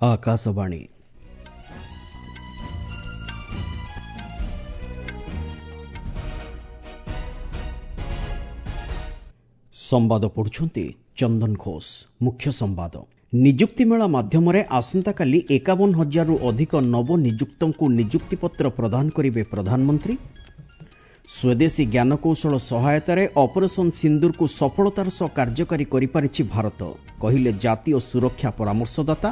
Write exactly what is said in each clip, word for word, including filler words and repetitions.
ଆକାଶବାଣୀ। ସମ୍ବାଦ ପଢୁଛନ୍ତି ଚନ୍ଦନ ଘୋଷ। ମୁଖ୍ୟ ସମ୍ବାଦ। ନିଯୁକ୍ତି ମେଳା ମାଧ୍ୟମରେ ଆସନ୍ତାକାଲି ଏକାବନ ହଜାରରୁ ଅଧିକ ନବନିଯୁକ୍ତଙ୍କୁ ନିଯୁକ୍ତିପତ୍ର ପ୍ରଦାନ କରିବେ ପ୍ରଧାନମନ୍ତ୍ରୀ। ସ୍ୱଦେଶୀ ଜ୍ଞାନକୌଶଳ ସହାୟତାରେ ଅପରେସନ୍ ସିନ୍ଦୁରକୁ ସଫଳତାର ସହ କାର୍ଯ୍ୟକାରୀ କରିପାରିଛି ଭାରତ, କହିଲେ ଜାତୀୟ ସୁରକ୍ଷା ପରାମର୍ଶଦାତା।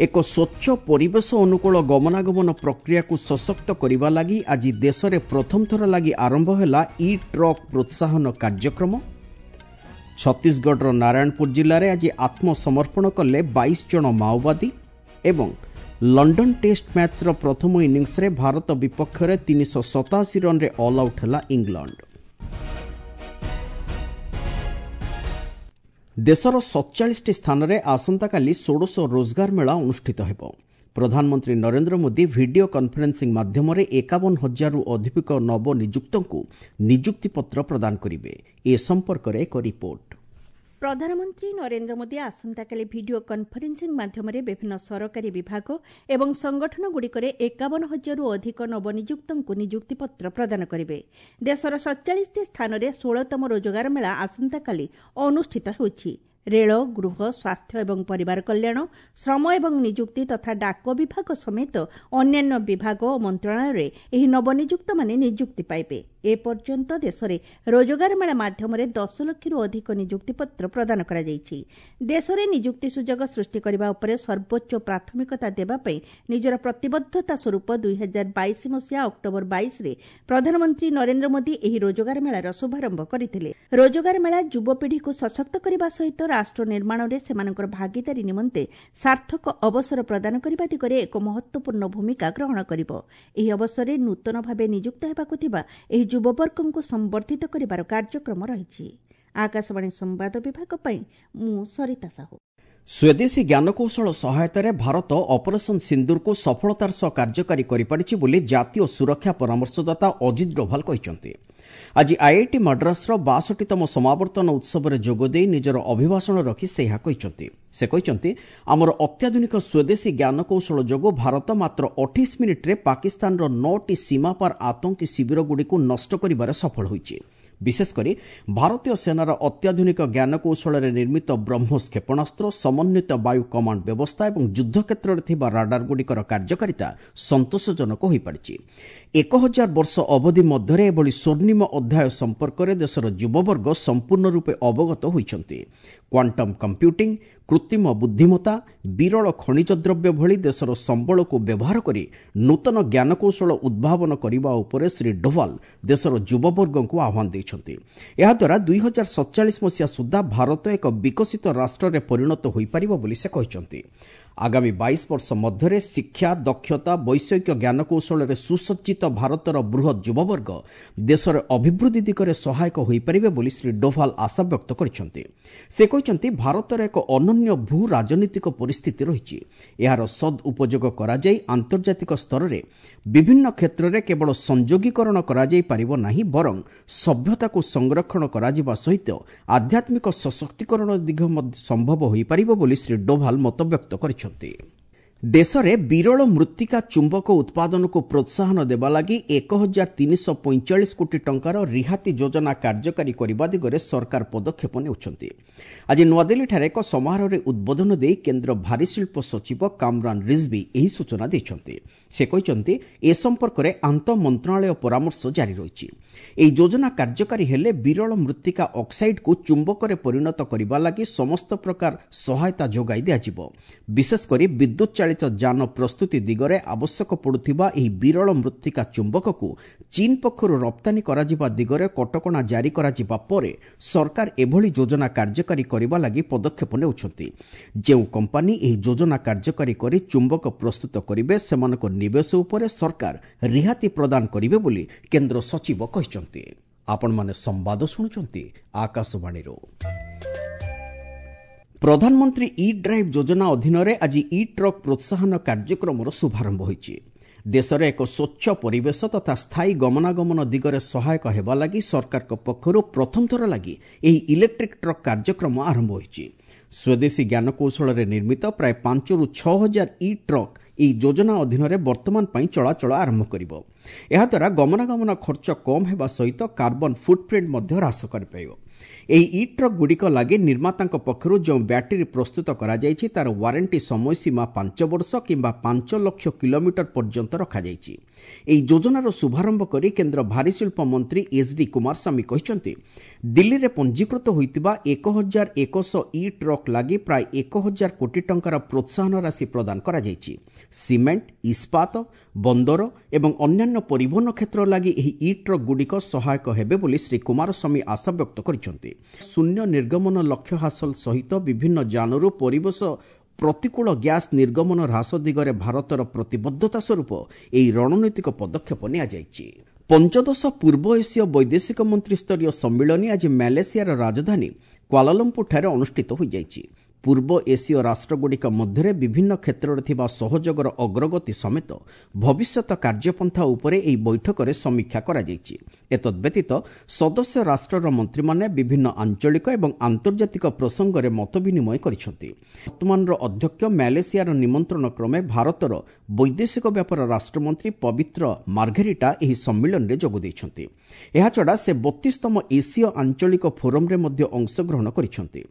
ଏକ ସ୍ୱଚ୍ଛ ପରିବେଶ ଅନୁକୂଳ ଗମନାଗମନ ପ୍ରକ୍ରିୟାକୁ ସଶକ୍ତ କରିବା ଲାଗି ଆଜି ଦେଶରେ ପ୍ରଥମ ଥର ଲାଗି ଆରମ୍ଭ ହେଲା ଇ ଟ୍ରକ୍ ପ୍ରୋତ୍ସାହନ କାର୍ଯ୍ୟକ୍ରମ। ଛତିଶଗଡ଼ର ନାରାୟଣପୁର ଜିଲ୍ଲାରେ ଆଜି ଆତ୍ମସମର୍ପଣ କଲେ ବାଇଶ ଜଣ ମାଓବାଦୀ। ଏବଂ ଲଣ୍ଡନ ଟେଷ୍ଟ ମ୍ୟାଚ୍ର ପ୍ରଥମ ଇନିଂସରେ ଭାରତ ବିପକ୍ଷରେ ତିନିଶହ ସତାଅଶୀ ରନ୍ରେ ଅଲ୍ ଆଉଟ୍ ହେଲା ଇଂଲଣ୍ଡ। ଦେଶର ସତଚାଳିଶଟି ସ୍ଥାନରେ ଆସନ୍ତାକାଲି ଷୋଡ଼ଶ ରୋଜଗାର ମେଳା ଅନୁଷ୍ଠିତ ହେବ। ପ୍ରଧାନମନ୍ତ୍ରୀ ନରେନ୍ଦ୍ର ମୋଦି ଭିଡିଓ କନ୍ଫରେନ୍ସିଂ ମାଧ୍ୟମରେ ଏକାବନ ହଜାରରୁ ଅଧିକ ନବନିଯୁକ୍ତଙ୍କୁ ନିଯୁକ୍ତିପତ୍ର ପ୍ରଦାନ କରିବେ। ଏ ସମ୍ପର୍କରେ ଏକ ରିପୋର୍ଟ। ପ୍ରଧାନମନ୍ତ୍ରୀ ନରେନ୍ଦ୍ର ମୋଦି ଆସନ୍ତାକାଲି ଭିଡିଓ କନ୍ଫରେନ୍ସିଂ ମାଧ୍ୟମରେ ବିଭିନ୍ନ ସରକାରୀ ବିଭାଗ ଏବଂ ସଂଗଠନଗୁଡ଼ିକରେ ଏକାବନ ହଜାରରୁ ଅଧିକ ନବନିଯୁକ୍ତଙ୍କୁ ନିଯୁକ୍ତିପତ୍ର ପ୍ରଦାନ କରିବେ। ଦେଶର ସତଚାଳିଶଟି ସ୍ଥାନରେ ଷୋଳତମ ରୋଜଗାର ମେଳା ଆସନ୍ତାକାଲି ଅନୁଷ୍ଠିତ ହେଉଛି। ରେଳ, ଗୃହ, ସ୍ୱାସ୍ଥ୍ୟ ଏବଂ ପରିବାର କଲ୍ୟାଣ, ଶ୍ରମ ଏବଂ ନିଯୁକ୍ତି ତଥା ଡାକ ବିଭାଗ ସମେତ ଅନ୍ୟାନ୍ୟ ବିଭାଗ ଓ ମନ୍ତ୍ରଣାଳୟରେ ଏହି ନବନିଯୁକ୍ତମାନେ ନିଯୁକ୍ତି ପାଇବେ। ଏପର୍ଯ୍ୟନ୍ତ ଦେଶରେ ରୋଜଗାର ମେଳା ମାଧ୍ୟମରେ ଦଶ ଲକ୍ଷରୁ ଅଧିକ ନିଯୁକ୍ତିପତ୍ର ପ୍ରଦାନ କରାଯାଇଛି। ଦେଶରେ ନିଯୁକ୍ତି ସୁଯୋଗ ସୃଷ୍ଟି କରିବା ଉପରେ ସର୍ବୋଚ୍ଚ ପ୍ରାଥମିକତା ଦେବା ପାଇଁ ନିଜର ପ୍ରତିବଦ୍ଧତା ସ୍ୱରୂପ ଦୁଇ ହଜାର ବାଇଶ ମସିହା ଅକ୍ଟୋବର ବାଇଶରେ ପ୍ରଧାନମନ୍ତ୍ରୀ ନରେନ୍ଦ୍ର ମୋଦି ଏହି ରୋଜଗାର ମେଳାର ଶୁଭାରମ୍ଭ କରିଥିଲେ। ରୋଜଗାର ମେଳା ଯୁବପିଢ଼ିକୁ ସଶକ୍ତ କରିବା ସହିତ ରାଷ୍ଟ୍ର ନିର୍ମାଣରେ ସେମାନଙ୍କର ଭାଗିଦାରୀ ନିମନ୍ତେ ସାର୍ଥକ ଅବସର ପ୍ରଦାନ କରିବା ଦିଗରେ ଏକ ମହତ୍ୱପୂର୍ଣ୍ଣ ଭୂମିକା ଗ୍ରହଣ କରିବ। ଏହି ଅବସରରେ ନୂତନ ଭାବେ ନିଯୁକ୍ତ ହେବାକୁ ଥିବା ଏହି ଯୁବବର୍ଗଙ୍କୁ ସମ୍ବର୍ଦ୍ଧିତ କରିବାର କାର୍ଯ୍ୟକ୍ରମ ରହିଛି। ଆକାଶବାଣୀ ସମ୍ବାଦ ବିଭାଗ ପାଇଁ ମୁଁ ସରିତା ସାହୁ। ସ୍ୱଦେଶୀ ଜ୍ଞାନକୌଶଳ ସହାୟତାରେ ଭାରତ ଅପରେସନ୍ ସିନ୍ଦୁରକୁ ସଫଳତାର ସହ କାର୍ଯ୍ୟକାରୀ କରିପାରିଛି ବୋଲି ଜାତୀୟ ସୁରକ୍ଷା ପରାମର୍ଶଦାତା ଅଜିତ ଡୋଭାଲ କହିଛନ୍ତି। ଆଜି ଆଇଆଇଟି ମାଡ୍ରାସର ବାଷଠିତମ ସମାବର୍ତ୍ତନ ଉତ୍ସବରେ ଯୋଗଦେଇ ନିଜର ଅଭିଭାଷଣ ରଖି ସେ ଏହା କହିଛନ୍ତି। ସେ କହିଛନ୍ତି, ଆମର ଅତ୍ୟାଧୁନିକ ସ୍ୱଦେଶୀ ଜ୍ଞାନକୌଶଳ ଯୋଗୁଁ ଭାରତ ମାତ୍ର ଅଠେଇଶ ମିନିଟ୍ରେ ପାକିସ୍ତାନର ନଅଟି ସୀମାପାର ଆତଙ୍କୀ ଶିବିରଗୁଡ଼ିକୁ ନଷ୍ଟ କରିବାରେ ସଫଳ ହୋଇଛି। ବିଶେଷକରି ଭାରତୀୟ ସେନାର ଅତ୍ୟାଧୁନିକ ଜ୍ଞାନକୌଶଳରେ ନିର୍ମିତ ବ୍ରହ୍ମୋସ କ୍ଷେପଣାସ୍ତ୍ର, ସମନ୍ୱିତ ବାୟୁ କମାଣ୍ଡ ବ୍ୟବସ୍ଥା ଏବଂ ଯୁଦ୍ଧକ୍ଷେତ୍ରରେ ଥିବା ରାଡାରଗୁଡ଼ିକର କାର୍ଯ୍ୟକାରିତା ସନ୍ତୋଷଜନକ ହୋଇପାରିଛି। ଏକ ହଜାର ବର୍ଷ ଅବଧି ମଧ୍ୟରେ ଏଭଳି ସ୍ୱର୍ଣ୍ଣିମ ଅଧ୍ୟାୟ ସମ୍ପର୍କରେ ଦେଶର ଯୁବବର୍ଗ ସମ୍ପୂର୍ଣ୍ଣ ରୂପେ ଅବଗତ ହୋଇଛନ୍ତି। କ୍ୱାଣ୍ଟମ୍ କମ୍ପ୍ୟୁଟିଂ, କୃତ୍ରିମ ବୁଦ୍ଧିମତ୍ତା, ବିରଳ ଖଣିଜ ଦ୍ରବ୍ୟ ଭଳି ଦେଶର ସମ୍ବଳକୁ ବ୍ୟବହାର କରି ନୂତନ ଜ୍ଞାନକୌଶଳ ଉଦ୍ଭାବନ କରିବା ଉପରେ ଶ୍ରୀ ଡୋଭାଲ ଦେଶର ଯୁବବର୍ଗଙ୍କୁ ଆହ୍ୱାନ ଦେଇଛନ୍ତି। ଏହାଦ୍ୱାରା ଦୁଇ ହଜାର ସତଚାଳିଶ ମସିହା ସୁଦ୍ଧା ଭାରତ ଏକ ବିକଶିତ ରାଷ୍ଟ୍ରରେ ପରିଣତ ହୋଇପାରିବ ବୋଲି ସେ କହିଛନ୍ତି। ଆଗାମୀ ବାଇଶ ବର୍ଷ ମଧ୍ୟରେ ଶିକ୍ଷା, ଦକ୍ଷତା, ବୈଷୟିକ ଜ୍ଞାନକୌଶଳରେ ସୁସଜ୍ଜିତ ଭାରତର ବୃହତ୍ ଯୁବବର୍ଗ ଦେଶର ଅଭିବୃଦ୍ଧି ଦିଗରେ ସହାୟକ ହୋଇପାରିବେ ବୋଲି ଶ୍ରୀ ଡୋଭାଲ ଆଶାବ୍ୟକ୍ତ କରିଛନ୍ତି। ସେ କହିଛନ୍ତି, ଭାରତର ଏକ ଅନନ୍ୟ ଭୂ ରାଜନୈତିକ ପରିସ୍ଥିତି ରହିଛି। ଏହାର ସଦ୍ ଉପଯୋଗ କରାଯାଇ ଆନ୍ତର୍ଜାତିକ ସ୍ତରରେ ବିଭିନ୍ନ କ୍ଷେତ୍ରରେ କେବଳ ସଂଯୋଗୀକରଣ କରାଯାଇପାରିବ ନାହିଁ, ବରଂ ସଭ୍ୟତାକୁ ସଂରକ୍ଷଣ କରାଯିବା ସହିତ ଆଧ୍ୟାତ୍ମିକ ସଶକ୍ତିକରଣ ଦିଗ ମଧ୍ୟ ସମ୍ଭବ ହୋଇପାରିବ ବୋଲି ଶ୍ରୀ ଡୋଭାଲ ମତବ୍ୟକ୍ତ କରିଛନ୍ତି। ଦେଶରେ ବିରଳ ମୃତ୍ତିକା ଚୁମ୍ବକ ଉତ୍ପାଦନକୁ ପ୍ରୋତ୍ସାହନ ଦେବା ଲାଗି ଏକ ହଜାର ତିନିଶହ ପଇଁଚାଳିଶ କୋଟି ଟଙ୍କାର ରିହାତି ଯୋଜନା କାର୍ଯ୍ୟକାରୀ କରିବା ଦିଗରେ ସରକାର ପଦକ୍ଷେପ ନେଉଛନ୍ତି। ଆଜି ନୂଆଦିଲ୍ଲୀଠାରେ ଏକ ସମାରୋହରେ ଉଦ୍ବୋଧନ ଦେଇ କେନ୍ଦ୍ର ଭାରୀଶିଳ୍ପ ସଚିବ କାମରାନ ରିଜଭି ଏହି ସୂଚନା ଦେଇଛନ୍ତି। ସେ କହିଛନ୍ତି, ଏ ସମ୍ପର୍କରେ ଆନ୍ତଃ ମନ୍ତ୍ରଣାଳୟ ପରାମର୍ଶ ଜାରି ରହିଛି। ଏହି ଯୋଜନା କାର୍ଯ୍ୟକାରୀ ହେଲେ ବିରଳ ମୃତ୍ତିକା ଅକ୍ସାଇଡ୍କୁ ଚୁମ୍ବକରେ ପରିଣତ କରିବା ଲାଗି ସମସ୍ତ ପ୍ରକାର ସହାୟତା ଯୋଗାଇ ଦିଆଯିବ। ବିଶେଷକରି ବିଦ୍ୟୁତ୍ ଚାଳିତ ଯାନ ପ୍ରସ୍ତୁତି ଦିଗରେ ଆବଶ୍ୟକ ପଡ଼ୁଥିବା ଏହି ବିରଳ ମୃତ୍ତିକା ଚୁମ୍ବକକୁ ଚୀନ୍ ପକ୍ଷରୁ ରପ୍ତାନୀ କରାଯିବା ଦିଗରେ କଟକଣା ଜାରି କରାଯିବା ପରେ ସରକାର ଏଭଳି ଯୋଜନା କାର୍ଯ୍ୟକାରୀ କରିବା ଲାଗି ପଦକ୍ଷେପ ନେଉଛନ୍ତି। ଯେଉଁ କମ୍ପାନୀ ଏହି ଯୋଜନା କାର୍ଯ୍ୟକାରୀ କରି ଚୁମ୍ବକ ପ୍ରସ୍ତୁତ କରିବେ, ସେମାନଙ୍କ ନିବେଶ ଉପରେ ସରକାର ରିହାତି ପ୍ରଦାନ କରିବେ ବୋଲି କେନ୍ଦ୍ର ସଚିବ କହିଛନ୍ତି। ଆପଣମାନେ ସମ୍ବାଦ ଶୁଣୁଛନ୍ତି ଆକାଶବାଣୀରୁ। ପ୍ରଧାନମନ୍ତ୍ରୀ ଇ ଡ୍ରାଇଭ୍ ଯୋଜନା ଅଧୀନରେ ଆଜି ଇ ଟ୍ରକ୍ ପ୍ରୋତ୍ସାହନ କାର୍ଯ୍ୟକ୍ରମର ଶୁଭାରମ୍ଭ ହୋଇଛି। ଦେଶରେ ଏକ ସ୍ୱଚ୍ଛ ପରିବେଶ ତଥା ସ୍ଥାୟୀ ଗମନାଗମନ ଦିଗରେ ସହାୟକ ହେବା ଲାଗି ସରକାରଙ୍କ ପକ୍ଷରୁ ପ୍ରଥମ ଥର ଲାଗି ଏହି ଇଲେକ୍ଟ୍ରିକ୍ ଟ୍ରକ୍ କାର୍ଯ୍ୟକ୍ରମ ଆରମ୍ଭ ହୋଇଛି। ସ୍ୱଦେଶୀ ଜ୍ଞାନକୌଶଳରେ ନିର୍ମିତ ପ୍ରାୟ ପାଞ୍ଚରୁ ଛଅ ହଜାର ଇ ଟ୍ରକ୍ ଏହି ଯୋଜନା ଅଧୀନରେ ବର୍ତ୍ତମାନ ପାଇଁ ଚଳାଚଳ ଆରମ୍ଭ କରିବ। ଏହାଦ୍ୱାରା ଗମନାଗମନ ଖର୍ଚ୍ଚ କମ୍ ହେବା ସହିତ କାର୍ବନ ଫୁଟପ୍ରିଣ୍ଟ ମଧ୍ୟ ହ୍ରାସ କରିପାରିବ। ଏହି ଇ ଟ୍ରକ୍ ଗୁଡ଼ିକ ଲାଗି ନିର୍ମାତାଙ୍କ ପକ୍ଷରୁ ଯେଉଁ ବ୍ୟାଟେରୀ ପ୍ରସ୍ତୁତ କରାଯାଇଛି ତାର ୱାରେଣ୍ଟି ସମୟସୀମା ପାଞ୍ଚ ବର୍ଷ କିମ୍ବା ପାଞ୍ଚ ଲକ୍ଷ କିଲୋମିଟର ପର୍ଯ୍ୟନ୍ତ ରଖାଯାଇଛି। ଏହି ଯୋଜନାର ଶୁଭାରମ୍ଭ କରି କେନ୍ଦ୍ର ଭାରୀ ଶିଳ୍ପ ମନ୍ତ୍ରୀ ଏଚ୍ ଡି କୁମାରସ୍ୱାମୀ କହିଛନ୍ତି, ଦିଲ୍ଲୀରେ ପଞ୍ଜୀକୃତ ହୋଇଥିବା ଏକ ହଜାର ଏକଶହ ଇ ଟ୍ରକ୍ ଲାଗି ପ୍ରାୟ ଏକ ହଜାର କୋଟି ଟଙ୍କାର ପ୍ରୋତ୍ସାହନ ରାଶି ପ୍ରଦାନ କରାଯାଇଛି। ସିମେଣ୍ଟ, ଇସ୍ପାତ, ବନ୍ଦର ଏବଂ ଅନ୍ୟାନ୍ୟ ପରିବହନ କ୍ଷେତ୍ର ଲାଗି ଏହି ଇ ଟ୍ରକ୍ ଗୁଡ଼ିକ ସହାୟକ ହେବେ ବୋଲି ଶ୍ରୀ କୁମାରସ୍ୱାମୀ ଆଶାବ୍ୟକ୍ତ କରିଛନ୍ତି। ଶୂନ୍ୟ ନିର୍ଗମନ ଲକ୍ଷ୍ୟ ହାସଲ ସହିତ ବିଭିନ୍ନ ଯାନରୁ ପରିବେଶ ପ୍ରତିକୂଳ ଗ୍ୟାସ୍ ନିର୍ଗମନ ହ୍ରାସ ଦିଗରେ ଭାରତର ପ୍ରତିବଦ୍ଧତା ସ୍ୱରୂପ ଏହି ରଣନୈତିକ ପଦକ୍ଷେପ ନିଆଯାଇଛି। ପଞ୍ଚଦଶ ପୂର୍ବ ଏସୀୟ ବୈଦେଶିକ ମନ୍ତ୍ରୀ ସ୍ତରୀୟ ସମ୍ମିଳନୀ ଆଜି ମାଲେସିଆର ରାଜଧାନୀ କ୍ୱାଲାଲମ୍ପୁରଠାରେ ଅନୁଷ୍ଠିତ ହୋଇଯାଇଛି। ପୂର୍ବ ଏସୀୟ ରାଷ୍ଟ୍ରଗୁଡ଼ିକ ମଧ୍ୟରେ ବିଭିନ୍ନ କ୍ଷେତ୍ରରେ ଥିବା ସହଯୋଗର ଅଗ୍ରଗତି ସମେତ ଭବିଷ୍ୟତ କାର୍ଯ୍ୟପନ୍ଥା ଉପରେ ଏହି ବୈଠକରେ ସମୀକ୍ଷା କରାଯାଇଛି। ଏତଦ୍ବ୍ୟତୀତ ସଦସ୍ୟ ରାଷ୍ଟ୍ରର ମନ୍ତ୍ରୀମାନେ ବିଭିନ୍ନ ଆଞ୍ଚଳିକ ଏବଂ ଆନ୍ତର୍ଜାତିକ ପ୍ରସଙ୍ଗରେ ମତ ବିନିମୟ କରିଛନ୍ତି। ବର୍ତ୍ତମାନର ଅଧ୍ୟକ୍ଷ ମାଲେସିଆର ନିମନ୍ତ୍ରଣ କ୍ରମେ ଭାରତର ବୈଦେଶିକ ବ୍ୟାପାର ରାଷ୍ଟ୍ରମନ୍ତ୍ରୀ ପବିତ୍ର ମାର୍ଘେରିଟା ଏହି ସମ୍ମିଳନୀରେ ଯୋଗ ଦେଇଛନ୍ତି। ଏହାଛଡ଼ା ସେ ବତିଶତମ ଏସୀୟ ଆଞ୍ଚଳିକ ଫୋରମ୍ରେ ମଧ୍ୟ ଅଂଶଗ୍ରହଣ କରିଛନ୍ତି।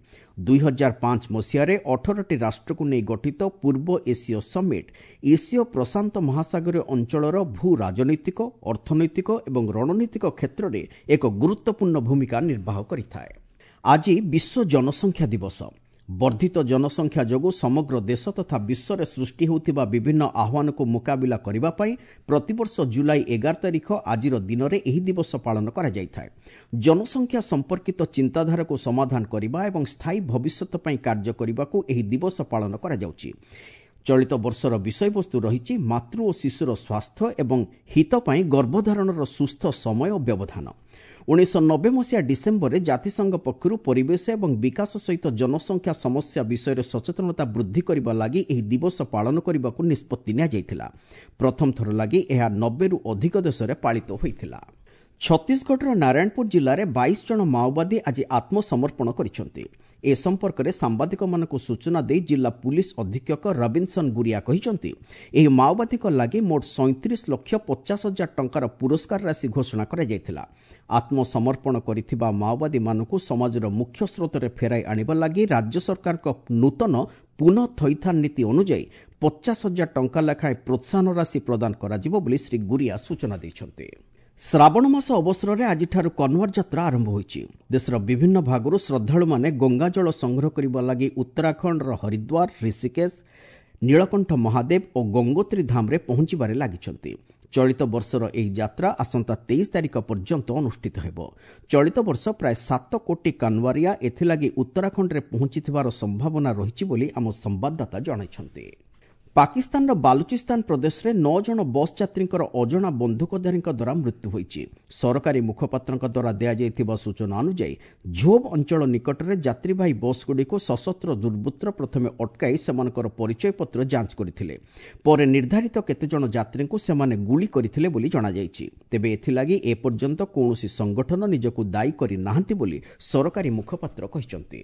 ଦୁଇ ହଜାର ପାଞ୍ଚ ମସିହାରେ ଅଠରଟି ରାଷ୍ଟ୍ରକୁ ନେଇ ଗଠିତ ପୂର୍ବ ଏସୀୟ ସମିଟ୍ ଏସୀୟ ପ୍ରଶାନ୍ତ ମହାସାଗରୀୟ ଅଞ୍ଚଳର ଭୂ ରାଜନୈତିକ, ଅର୍ଥନୈତିକ ଏବଂ ରଣନୈତିକ କ୍ଷେତ୍ରରେ ଏକ ଗୁରୁତ୍ୱପୂର୍ଣ୍ଣ ଭୂମିକା ନିର୍ବାହ କରିଥାଏ। ଆଜି ବିଶ୍ୱ ଜନସଂଖ୍ୟା ଦିବସ। ବର୍ଦ୍ଧିତ ଜନସଂଖ୍ୟା ଯୋଗୁଁ ସମଗ୍ର ଦେଶ ତଥା ବିଶ୍ୱରେ ସୃଷ୍ଟି ହେଉଥିବା ବିଭିନ୍ନ ଆହ୍ୱାନକୁ ମୁକାବିଲା କରିବା ପାଇଁ ପ୍ରତିବର୍ଷ ଜୁଲାଇ ଏଗାର ତାରିଖ ଆଜିର ଦିନରେ ଏହି ଦିବସ ପାଳନ କରାଯାଇଥାଏ। ଜନସଂଖ୍ୟା ସମ୍ପର୍କିତ ଚିନ୍ତାଧାରାକୁ ସମାଧାନ କରିବା ଏବଂ ସ୍ଥାୟୀ ଭବିଷ୍ୟତ ପାଇଁ କାର୍ଯ୍ୟ କରିବାକୁ ଏହି ଦିବସ ପାଳନ କରାଯାଉଛି। ଚଳିତ ବର୍ଷର ବିଷୟବସ୍ତୁ ରହିଛି ମାତୃ ଓ ଶିଶୁର ସ୍ୱାସ୍ଥ୍ୟ ଏବଂ ହିତ ପାଇଁ ଗର୍ଭଧାରଣର ସୁସ୍ଥ ସମୟ ଓ ବ୍ୟବଧାନ। ଉଣେଇଶହ ନବେ ମସିହା ଡିସେମ୍ବରରେ ଜାତିସଂଘ ପକ୍ଷରୁ ପରିବେଶ ଏବଂ ବିକାଶ ସହିତ ଜନସଂଖ୍ୟା ସମସ୍ୟା ବିଷୟରେ ସଚେତନତା ବୃଦ୍ଧି କରିବା ଲାଗି ଏହି ଦିବସ ପାଳନ କରିବାକୁ ନିଷ୍ପତ୍ତି ନିଆଯାଇଥିଲା। ପ୍ରଥମ ଥର ଲାଗି ଏହା ନବେରୁ ଅଧିକ ଦେଶରେ ପାଳିତ ହୋଇଥିଲା। ଛତିଶଗଡ଼ର ନାରାୟଣପୁର ଜିଲ୍ଲାରେ ବାଇଶ ଜଣ ମାଓବାଦୀ ଆଜି ଆତ୍ମସମର୍ପଣ କରିଛନ୍ତି। ଏ ସମ୍ପର୍କରେ ସାମ୍ବାଦିକମାନଙ୍କୁ ସୂଚନା ଦେଇ ଜିଲ୍ଲା ପୁଲିସ ଅଧୀକ୍ଷକ ରବିନ୍ସନ୍ ଗୁରିଆ କହିଛନ୍ତି, ଏହି ମାଓବାଦୀଙ୍କ ଲାଗି ମୋଟ ସଇଁତିରିଶ ଲକ୍ଷ ପଚାଶ ହଜାର ଟଙ୍କାର ପୁରସ୍କାର ରାଶି ଘୋଷଣା କରାଯାଇଥିଲା। ଆତ୍ମସମର୍ପଣ କରିଥିବା ମାଓବାଦୀମାନଙ୍କୁ ସମାଜର ମୁଖ୍ୟ ସ୍ରୋତରେ ଫେରାଇ ଆଣିବା ଲାଗି ରାଜ୍ୟ ସରକାରଙ୍କ ନୂତନ ପୁନଃ ଥଇଥାନ ନୀତି ଅନୁଯାୟୀ ପଚାଶ ହଜାର ଟଙ୍କା ଲେଖାଏଁ ପ୍ରୋତ୍ସାହନ ରାଶି ପ୍ରଦାନ କରାଯିବ ବୋଲି ଶ୍ରୀ ଗୁରିଆ ସୂଚନା ଦେଇଛନ୍ତି। ଶ୍ରାବଣ ମାସ ଅବସରରେ ଆଜିଠାରୁ କନ୍ୱାର ଯାତ୍ରା ଆରମ୍ଭ ହୋଇଛି। ଦେଶର ବିଭିନ୍ନ ଭାଗରୁ ଶ୍ରଦ୍ଧାଳୁମାନେ ଗଙ୍ଗାଜଳ ସଂଗ୍ରହ କରିବା ଲାଗି ଉତ୍ତରାଖଣ୍ଡର ହରିଦ୍ୱାର, ଋଷିକେଶ, ନୀଳକଣ୍ଠ ମହାଦେବ ଓ ଗଙ୍ଗୋତ୍ରୀ ଧାମରେ ପହଞ୍ଚିବାରେ ଲାଗିଛନ୍ତି। ଚଳିତ ବର୍ଷର ଏହି ଯାତ୍ରା ଆସନ୍ତା ତେଇଶ ତାରିଖ ପର୍ଯ୍ୟନ୍ତ ଅନୁଷ୍ଠିତ ହେବ। ଚଳିତ ବର୍ଷ ପ୍ରାୟ ସାତ କୋଟି କାନୱାରିଆ ଏଥିଲାଗି ଉତ୍ତରାଖଣ୍ଡରେ ପହଞ୍ଚିଥିବାର ସମ୍ଭାବନା ରହିଛି ବୋଲି ଆମ ସମ୍ବାଦଦାତା ଜଣାଇଛନ୍ତି। ପାକିସ୍ତାନର ବାଲୁଚିସ୍ତାନ ପ୍ରଦେଶରେ ନଅ ଜଣ ବସ୍ ଯାତ୍ରୀଙ୍କର ଅଜଣା ବନ୍ଧୁକଧାରୀଙ୍କ ଦ୍ୱାରା ମୃତ୍ୟୁ ହୋଇଛି। ସରକାରୀ ମୁଖପାତ୍ରଙ୍କ ଦ୍ୱାରା ଦିଆଯାଇଥିବା ସୂଚନା ଅନୁଯାୟୀ ଝୋବ୍ ଅଞ୍ଚଳ ନିକଟରେ ଯାତ୍ରୀବାହୀ ବସ୍ଗୁଡ଼ିକୁ ସଶସ୍ତ୍ର ଦୁର୍ବୃତ୍ତ ପ୍ରଥମେ ଅଟକାଇ ସେମାନଙ୍କର ପରିଚୟପତ୍ର ଯାଞ୍ଚ କରିଥିଲେ। ପରେ ନିର୍ଦ୍ଧାରିତ କେତେଜଣ ଯାତ୍ରୀଙ୍କୁ ସେମାନେ ଗୁଳି କରିଥିଲେ ବୋଲି ଜଣାଯାଇଛି। ତେବେ ଏଥିଲାଗି ଏପର୍ଯ୍ୟନ୍ତ କୌଣସି ସଂଗଠନ ନିଜକୁ ଦାୟୀ କରିନାହାନ୍ତି ବୋଲି ସରକାରୀ ମୁଖପାତ୍ର କହିଛନ୍ତି।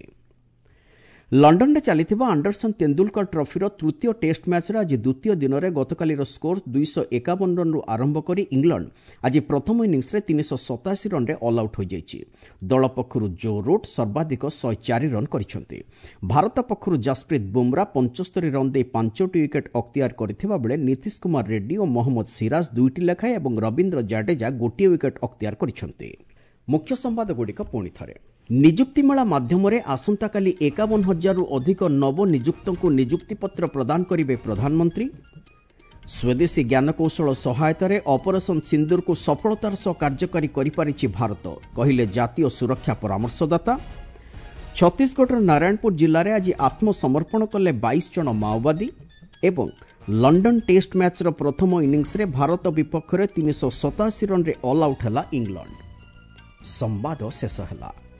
ଲଣ୍ଡନରେ ଚାଲିଥିବା ଆଣ୍ଡରସନ୍ ତେନ୍ଦୁଲକର ଟ୍ରଫିର ତୃତୀୟ ଟେଷ୍ଟ ମ୍ୟାଚ୍ର ଆଜି ଦ୍ୱିତୀୟ ଦିନରେ ଗତକାଲିର ସ୍କୋର ଦୁଇଶହ ଏକାବନ ରନ୍ରୁ ଆରମ୍ଭ କରି ଇଂଲଣ୍ଡ ଆଜି ପ୍ରଥମ ଇନିଂସରେ ତିନିଶହ ସତାଅଶୀ ରନ୍ରେ ଅଲ୍ ଆଉଟ୍ ହୋଇଯାଇଛି। ଦଳ ପକ୍ଷରୁ ଜୋ ରୁଟ୍ ସର୍ବାଧିକ ଶହେ ଚାରି ରନ୍ କରିଛନ୍ତି। ଭାରତ ପକ୍ଷରୁ ଜସପ୍ରୀତ ବୁମ୍ରା ପଞ୍ଚସ୍ତରୀ ରନ୍ ଦେଇ ପାଞ୍ଚଟି ୱିକେଟ୍ ଅକ୍ତିଆର କରିଥିବା ବେଳେ ନୀତିଶ କୁମାର ରେଡ୍ଡି ଓ ମହମ୍ମଦ ସିରାଜ ଦୁଇଟି ଲେଖାଏଁ ଏବଂ ରବୀନ୍ଦ୍ର ଜାଡେଜା ଗୋଟିଏ ୱିକେଟ୍ ଅକ୍ତିଆର କରିଛନ୍ତି। ମୁଖ୍ୟ ସମ୍ବାଦଗୁଡ଼ିକ ପୁଣି ଥରେ। ନିଯୁକ୍ତି ମେଳା ମାଧ୍ୟମରେ ଆସନ୍ତାକାଲି ଏକାବନ ହଜାରରୁ ଅଧିକ ନବନିଯୁକ୍ତଙ୍କୁ ନିଯୁକ୍ତିପତ୍ର ପ୍ରଦାନ କରିବେ ପ୍ରଧାନମନ୍ତ୍ରୀ। ସ୍ୱଦେଶୀ ଜ୍ଞାନକୌଶଳ ସହାୟତାରେ ଅପରେସନ୍ ସିନ୍ଦୁରକୁ ସଫଳତାର ସହ କାର୍ଯ୍ୟକାରୀ କରିପାରିଛି ଭାରତ, କହିଲେ ଜାତୀୟ ସୁରକ୍ଷା ପରାମର୍ଶଦାତା। ଛତିଶଗଡ଼ର ନାରାୟଣପୁର ଜିଲ୍ଲାରେ ଆଜି ଆତ୍ମସମର୍ପଣ କଲେ ବାଇଶ ଜଣ ମାଓବାଦୀ ଏବଂ ଲଣ୍ଡନ ଟେଷ୍ଟ ମ୍ୟାଚ୍ର ପ୍ରଥମ ଇନିଂସରେ ଭାରତ ବିପକ୍ଷରେ ତିନିଶହ ସତାଅଶୀ ରନ୍ରେ ଅଲ୍ ଆଉଟ୍ ହେଲା ଇଂଲଣ୍ଡ। ସମ୍ବାଦ ଶେଷ ହେଲା।